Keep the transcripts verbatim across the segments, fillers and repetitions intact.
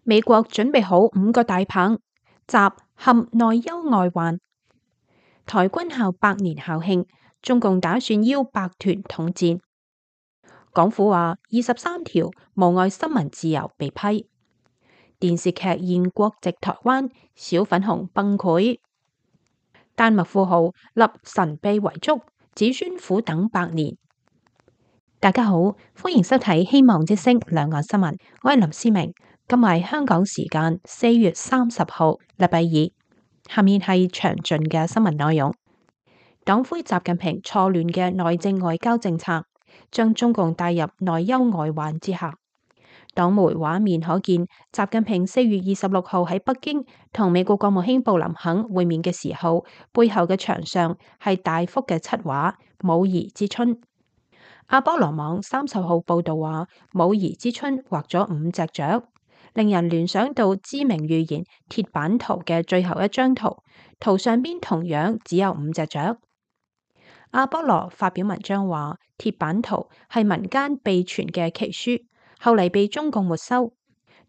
美國準備好五個大棒，習陷內憂外患。台軍校百年校慶，中共打算邀百團統戰。港府話二十三條無礙新聞自由被批。電視劇現國籍台灣，小粉紅崩潰。丹麥富豪立神秘遺囑，子孫苦等百年。大家好，歡迎收睇《希望之聲》兩岸新聞，我係林思明。今日係香港時間四月三十號，禮拜二。下面係詳盡嘅新聞內容。黨魁習近平錯亂嘅內政外交政策，將中共帶入內憂外患之下。黨媒畫面可見，習近平四月二十六號喺北京同美國國務卿布林肯會面嘅時候，背後嘅牆上係大幅嘅漆畫《武夷之春》。阿波羅網三十號報道話，《武夷之春》畫咗五隻雀，令人聯想到知名預言鐵板圖嘅最後一張圖，圖上邊同樣只有五隻雀。阿波羅發表文章話，鐵板圖係民間秘傳嘅奇書，後嚟被中共沒收。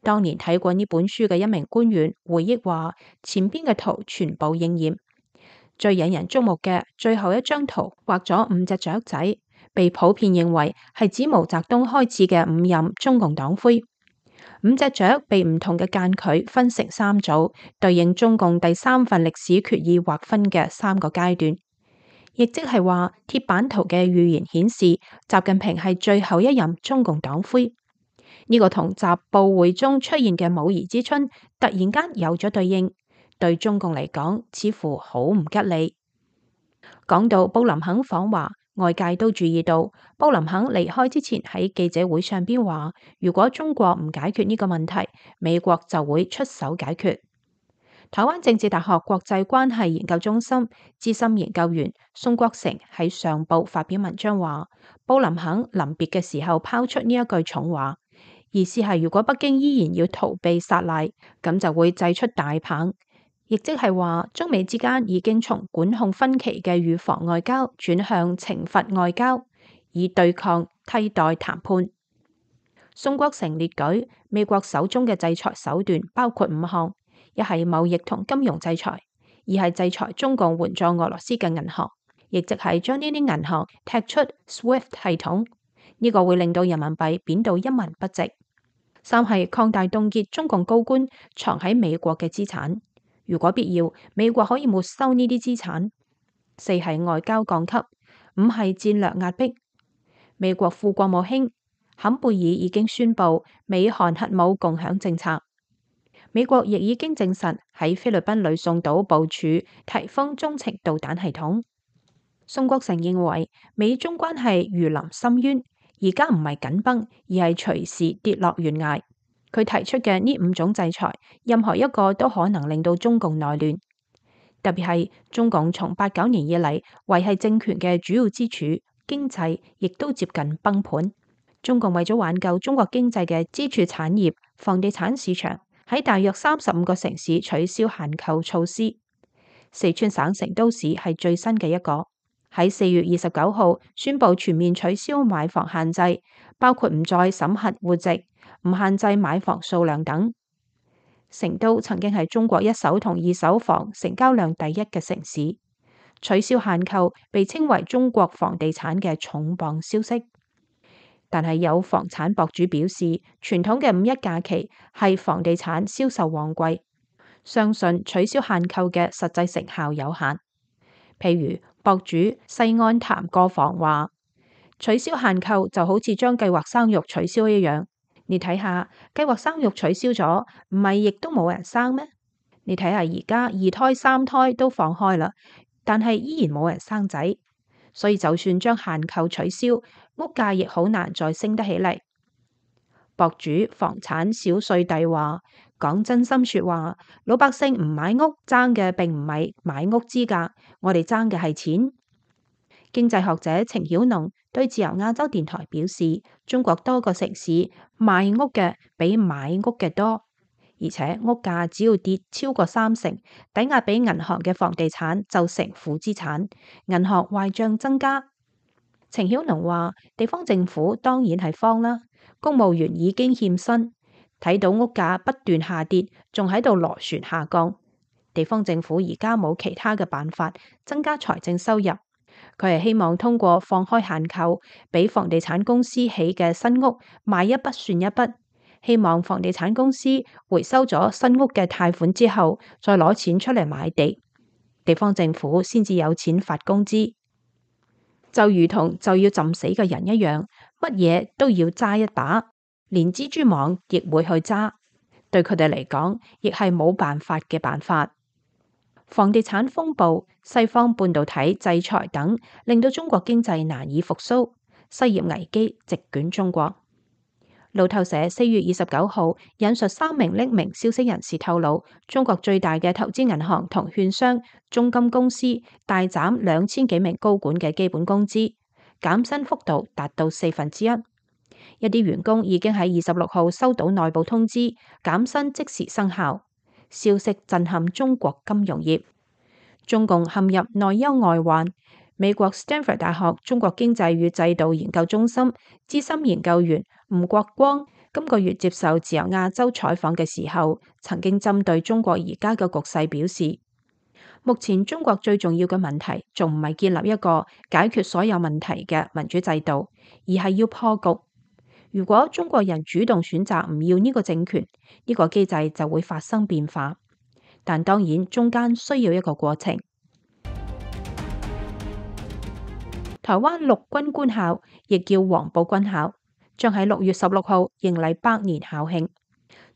當年睇過呢本書嘅一名官員回憶話，前邊嘅圖全部應驗。最引人矚目嘅最後一張圖畫咗五隻雀仔，被普遍認為係指毛澤東開始嘅五任中共黨魁。五隻雀被唔同嘅間距分成三組，對應中共第三份歷史決議劃分嘅三個階段。亦即係話，鐵板圖嘅預言顯示，習近平係最後一任中共黨魁。呢、這個同習報會中出現嘅武夷之春突然間有咗對應，對中共嚟講似乎好唔吉利。講到布林肯訪華，外界都注意到，布林肯離開之前喺記者會上邊話，如果中國唔解決呢個問題，美國就會出手解決。台灣政治大學國際關係研究中心資深研究員宋國成喺上報發表文章話，布林肯臨別嘅時候拋出呢一句重話，意思係如果北京依然要逃避撒賴，咁就會祭出大棒，亦即係話中美之間已經從管控分歧嘅預防外交轉向懲罰外交，以對抗替代談判。宋國成列舉美國手中嘅制裁手段包括五項。一係貿易同金融制裁，二係制裁中共援助俄羅斯嘅銀行，亦即係將呢啲銀行踢出 SWIFT 系統，呢、這個會令到人民幣貶到一文不值。三係擴大凍結中共高官藏喺美國嘅資產，如果必要，美國可以沒收呢啲資產。四係外交降級，五係戰略壓迫。美國副國務卿坎貝爾已經宣布美韓核武共享政策。美國亦已經證實喺菲律賓呂宋島部署颱風中程導彈系統。宋國成認為美中關係如臨深淵，而家唔係緊繃，而係隨時跌落懸崖。佢提出嘅呢五種制裁，任何一個都可能令到中共內亂。特別係中共從八九年以嚟維繫政權嘅主要支柱經濟，亦都接近崩盤。中共為咗挽救中國經濟嘅支柱產業房地產市場，喺大約三十五個城市取消限購措施，四川省成都市係最新嘅一個，喺四月二十九號宣布全面取消買房限制，包括唔再審核戶籍、唔限制買房數量等。成都曾經係中國一手同二手房成交量第一嘅城市，取消限購被稱為中國房地產嘅重磅消息。但係有房產博主表示，傳統嘅五一假期係房地產銷售旺季，相信取消限購嘅實際成效有限。譬如博主西安談過房話，取消限購就好似將計劃生育取消一樣。你睇下，計劃生育取消咗，唔係亦都冇人生咩？你睇下而家二胎三胎都放開啦，但係依然冇人生仔。所以就算將限購取消，屋價亦好難再升得起嚟。博主房產小碎弟話：講真心說話，老百姓唔買屋爭嘅並唔係買屋資格，我哋爭嘅係錢。經濟學者程曉農對自由亞洲電台表示，中國多個城市賣屋嘅比買屋嘅多，而且屋價只要跌超過三成，抵押俾銀行嘅房地產就成負資產，銀行壞賬增加。程曉農話：地方政府當然係慌啦，公務員已經欠薪，睇到屋價不斷下跌，仲喺度螺旋下降。地方政府而家冇其他嘅辦法增加財政收入，佢係希望通過放開限購，俾房地產公司起嘅新屋賣一筆算一筆，希望房地產公司回收咗新屋嘅貸款之後，再攞錢出嚟買地，地方政府先至有錢發工資。就如同就要浸死嘅人一樣，乜嘢都要揸一把，連蜘蛛網亦會去揸。對佢哋嚟講，亦係冇辦法嘅辦法。房地產風暴、西方半導體制裁等，令到中國經濟難以復甦，失業危機席捲中國。路透社四月二十九號引述三名匿名消息人士透露，中國最大嘅投資銀行同券商中金公司大斬兩千幾名高管嘅基本工資，減薪幅度達到四分之一。一啲員工已經喺二十六號收到內部通知，減薪即時生效。消息震撼中國金融業，中共陷入內憂外患。美國斯坦福大學中國經濟與制度研究中心資深研究員吳國光今個月接受自由亞洲採訪嘅時候，曾經針對中國而家嘅局勢表示，目前中國最重要嘅問題仲唔係建立一個解決所有問題嘅民主制度，而係要破局。如果中國人主動選擇唔要呢個政權，呢個機制就會發生變化。但當然中間需要一個過程。台灣陸軍官校亦叫黃埔軍校，將喺六月十六號迎嚟百年校慶。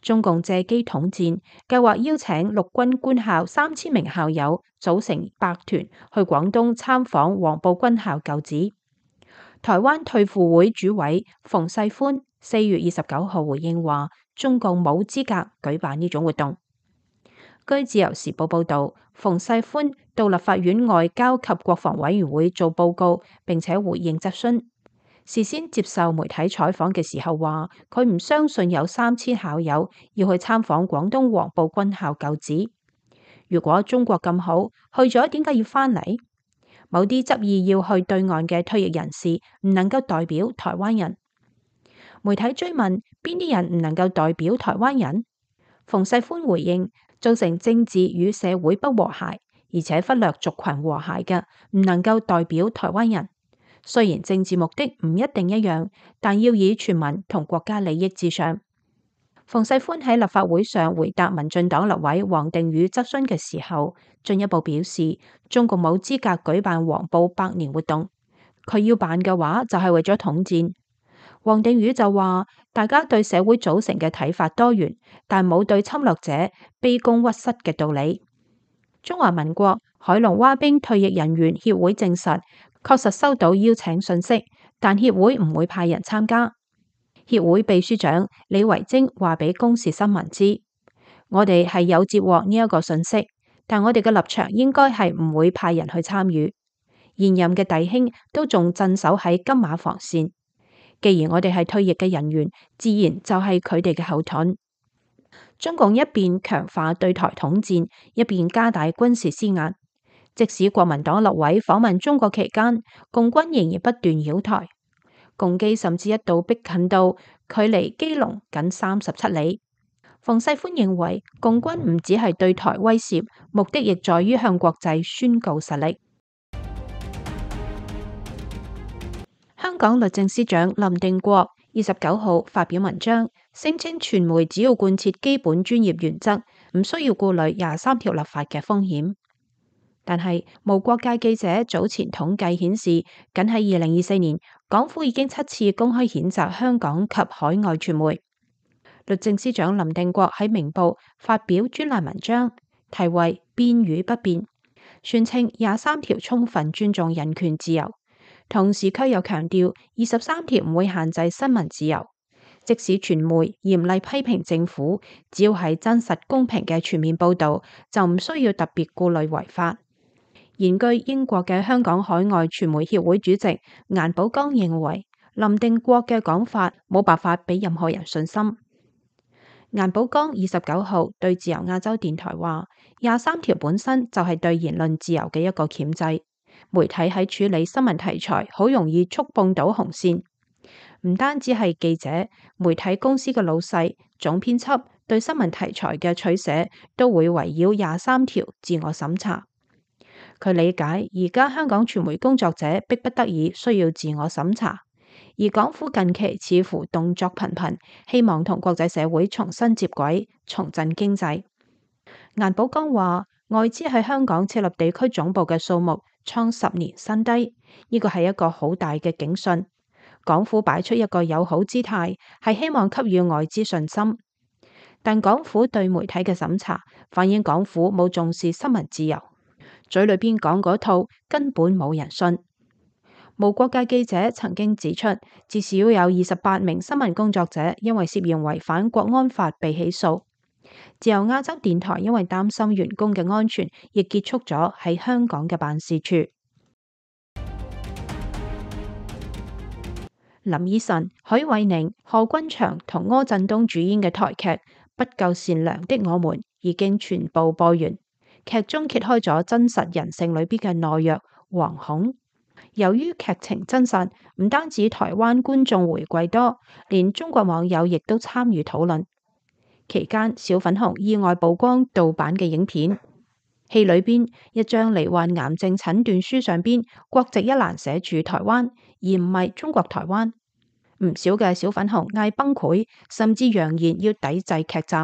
中共借機統戰，計劃邀請陸軍官校三千名校友組成百團去廣東參訪黃埔軍校舊址。台灣退輔會主委馮世寬四月二十九號回應話，中共冇資格舉辦呢種活動。據自由時報報道，馮世寬到立法院外交及國防委員會做報告，並且回應質詢。事先接受媒體採訪嘅時候話，佢唔相信有三千校友要去參訪廣東黃埔軍校舊址。如果中國咁好，去咗點解要返嚟？某啲執意要去對岸嘅退役人士唔能夠代表台灣人。媒體追問邊啲人唔能夠代表台灣人？馮世寬回應，造成政治與社會不和諧，而且忽略族群和諧嘅，唔能夠代表台灣人。雖然政治目的唔一定一樣，但要以全民同國家利益至上。馮世寬喺立法會上回答民進黨立委王定宇質詢嘅時候，進一步表示中共冇資格舉辦黃埔百年活動，佢要辦嘅話就係為咗統戰。王定宇就話，大家對社會組成嘅睇法多元，但冇對侵略者卑躬屈膝嘅道理。中華民國海龍蛙兵退役人員協會證實，確實收到邀請信息，但協會唔會派人參加。協會秘書長李維貞話俾公視新聞知，我哋係有接獲呢一個信息，但我哋嘅立場應該係唔會派人去參與。現任嘅弟兄都仲鎮守喺金馬防線。既然我哋係退役嘅人員，自然就係佢哋嘅後盾。中共一邊強化對台統戰，一邊加大軍事施壓。即使國民黨立委訪問中國期間，共軍仍然不斷擾台，共機甚至一度逼近到距離基隆僅三十七里。馮世寬認為，共軍唔只係對台威懾，目的亦在於向國際宣告實力。香港律政司長林定國二十九號發表文章，聲稱傳媒只要貫徹基本專業原則，唔需要顧慮廿三條立法嘅風險。但係，無國界記者早前統計顯示，僅喺二零二四年，港府已經七次公開譴責香港及海外傳媒。律政司長林定國喺明報發表專欄文章，題為《變與不變》，宣稱廿三條充分尊重人權自由。同時，卻又強調二十三條唔會限制新聞自由，即使傳媒嚴厲批評政府，只要係真實公平嘅全面報導，就唔需要特別顧慮違法。現居英國嘅香港海外傳媒協會主席顏寶剛認為，林定國嘅講法冇辦法俾任何人信心。顏寶剛二十九號對自由亞洲電台話：廿三條本身就係對言論自由嘅一個鉗制。媒體喺處理新聞題材，好容易觸碰到紅線。唔單止係記者，媒體公司嘅老細總編輯對新聞題材嘅取捨都會圍繞廿三條自我審查。佢理解而家香港傳媒工作者迫不得已需要自我審查，而港府近期似乎動作頻頻，希望同國際社會重新接軌，重振經濟。顏寶剛話：外資喺香港設立地區總部嘅數目創十年新低，呢個係一個好大嘅警訊。港府擺出一個友好姿態，係希望給予外資信心。但港府對媒體嘅審查，反映港府冇重視新聞自由，嘴裏邊講嗰套根本冇人信。無國界記者曾經指出，至少有二十八名新聞工作者因為涉嫌違反國安法被起訴。自由亞洲電台因為擔心員工嘅安全，亦結束咗喺香港嘅辦事處。林依晨、許瑋甯、何君祥同柯震東主演嘅台劇《不夠善良的我們》已經全部播完。劇中揭開咗真實人性裏邊嘅懦弱、惶恐。由於劇情真實，唔單止台灣觀眾回饋多，連中國網友亦都參與討論。期間，小粉紅意外曝光盜版嘅影片。戲裏邊一張罹患癌症診斷書上邊國籍一欄寫住台灣，而唔係中國台灣。唔少嘅小粉紅嗌崩潰，甚至揚言要抵制劇集。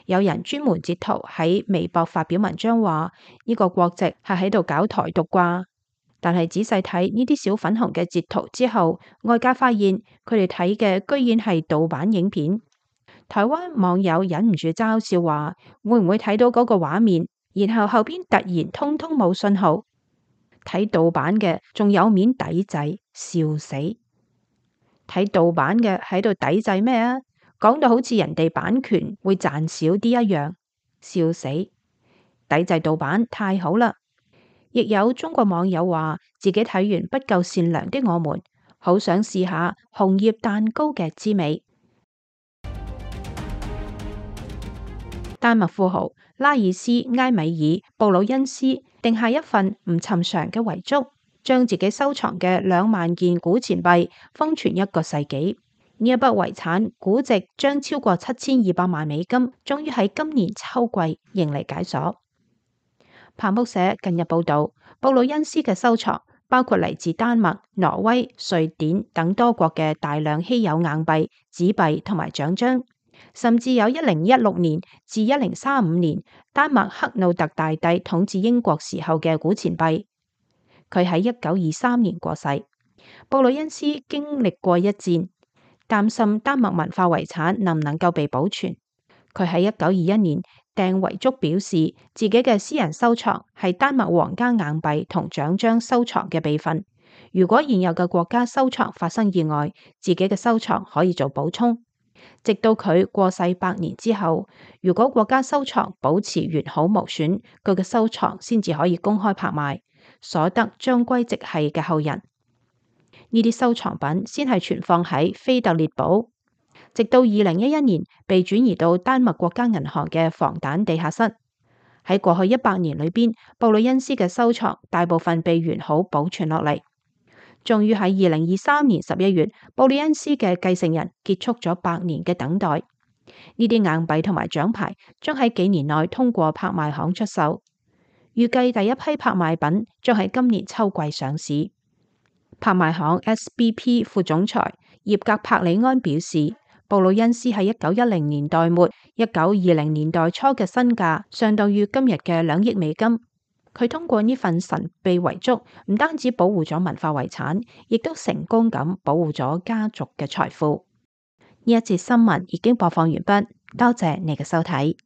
有人專門截圖喺微博發表文章話：呢個國籍係喺度搞台獨啩。但係仔細睇呢啲小粉紅嘅截圖之後，外界發現佢哋睇嘅居然係盜版影片。台灣網友忍唔住嘲笑話：會唔會睇到嗰個畫面，然後後邊突然通通冇信號？睇盜版嘅仲有面抵制，笑死！睇盜版嘅喺度抵制咩啊？講到好似人哋版權會賺少啲一樣，笑死！抵制盜版太好啦！亦有中國網友話自己睇完《不夠善良的我們》，好想試下紅葉蛋糕嘅滋味。丹麥富豪拉爾斯埃米爾布魯恩斯定下一份唔尋常嘅遺囑，將自己收藏嘅兩萬件古錢幣封存一個世紀。呢一筆遺產估值將超過七千二百萬美金，終於喺今年秋季迎嚟解鎖。彭博社近日報道，布魯恩斯嘅收藏包括嚟自丹麥、挪威、瑞典等多國嘅大量稀有硬幣、紙幣同埋獎章，甚至有一零一六年至一零三五年丹麥克魯特大帝統治英國時候嘅古錢幣。佢喺一九二三年過世。布魯恩斯經歷過一戰，擔心丹麥文化遺產能唔能夠被保存。佢喺一九二一年訂遺囑，表示自己嘅私人收藏係丹麥皇家硬幣同獎章收藏嘅備份。如果現有嘅國家收藏發生意外，自己嘅收藏可以做補充。直到佢過世百年之後，如果國家收藏保持完好無損，佢嘅收藏先至可以公開拍賣，所得將歸直系嘅後人。呢啲收藏品先係存放喺菲特列堡，直到二零一一年被轉移到丹麥國家銀行嘅防彈地下室。喺過去一百年裏邊，布魯恩斯嘅收藏大部分被完好保存落嚟。終於喺二零二三年十一月，布魯恩斯嘅繼承人結束咗百年嘅等待。呢啲硬幣同埋獎牌將喺幾年內通過拍賣行出售，預計第一批拍賣品將喺今年秋季上市。拍賣行 S B P 副總裁葉格柏里安表示，布魯恩斯喺一九一零年代末、一九二零年代初嘅身價相當於今日嘅兩億美金。佢通過呢份神秘遺囑，唔單止保護咗文化遺產，亦都成功咁保護咗家族嘅財富。呢一節新聞已經播放完畢，多謝你嘅收睇。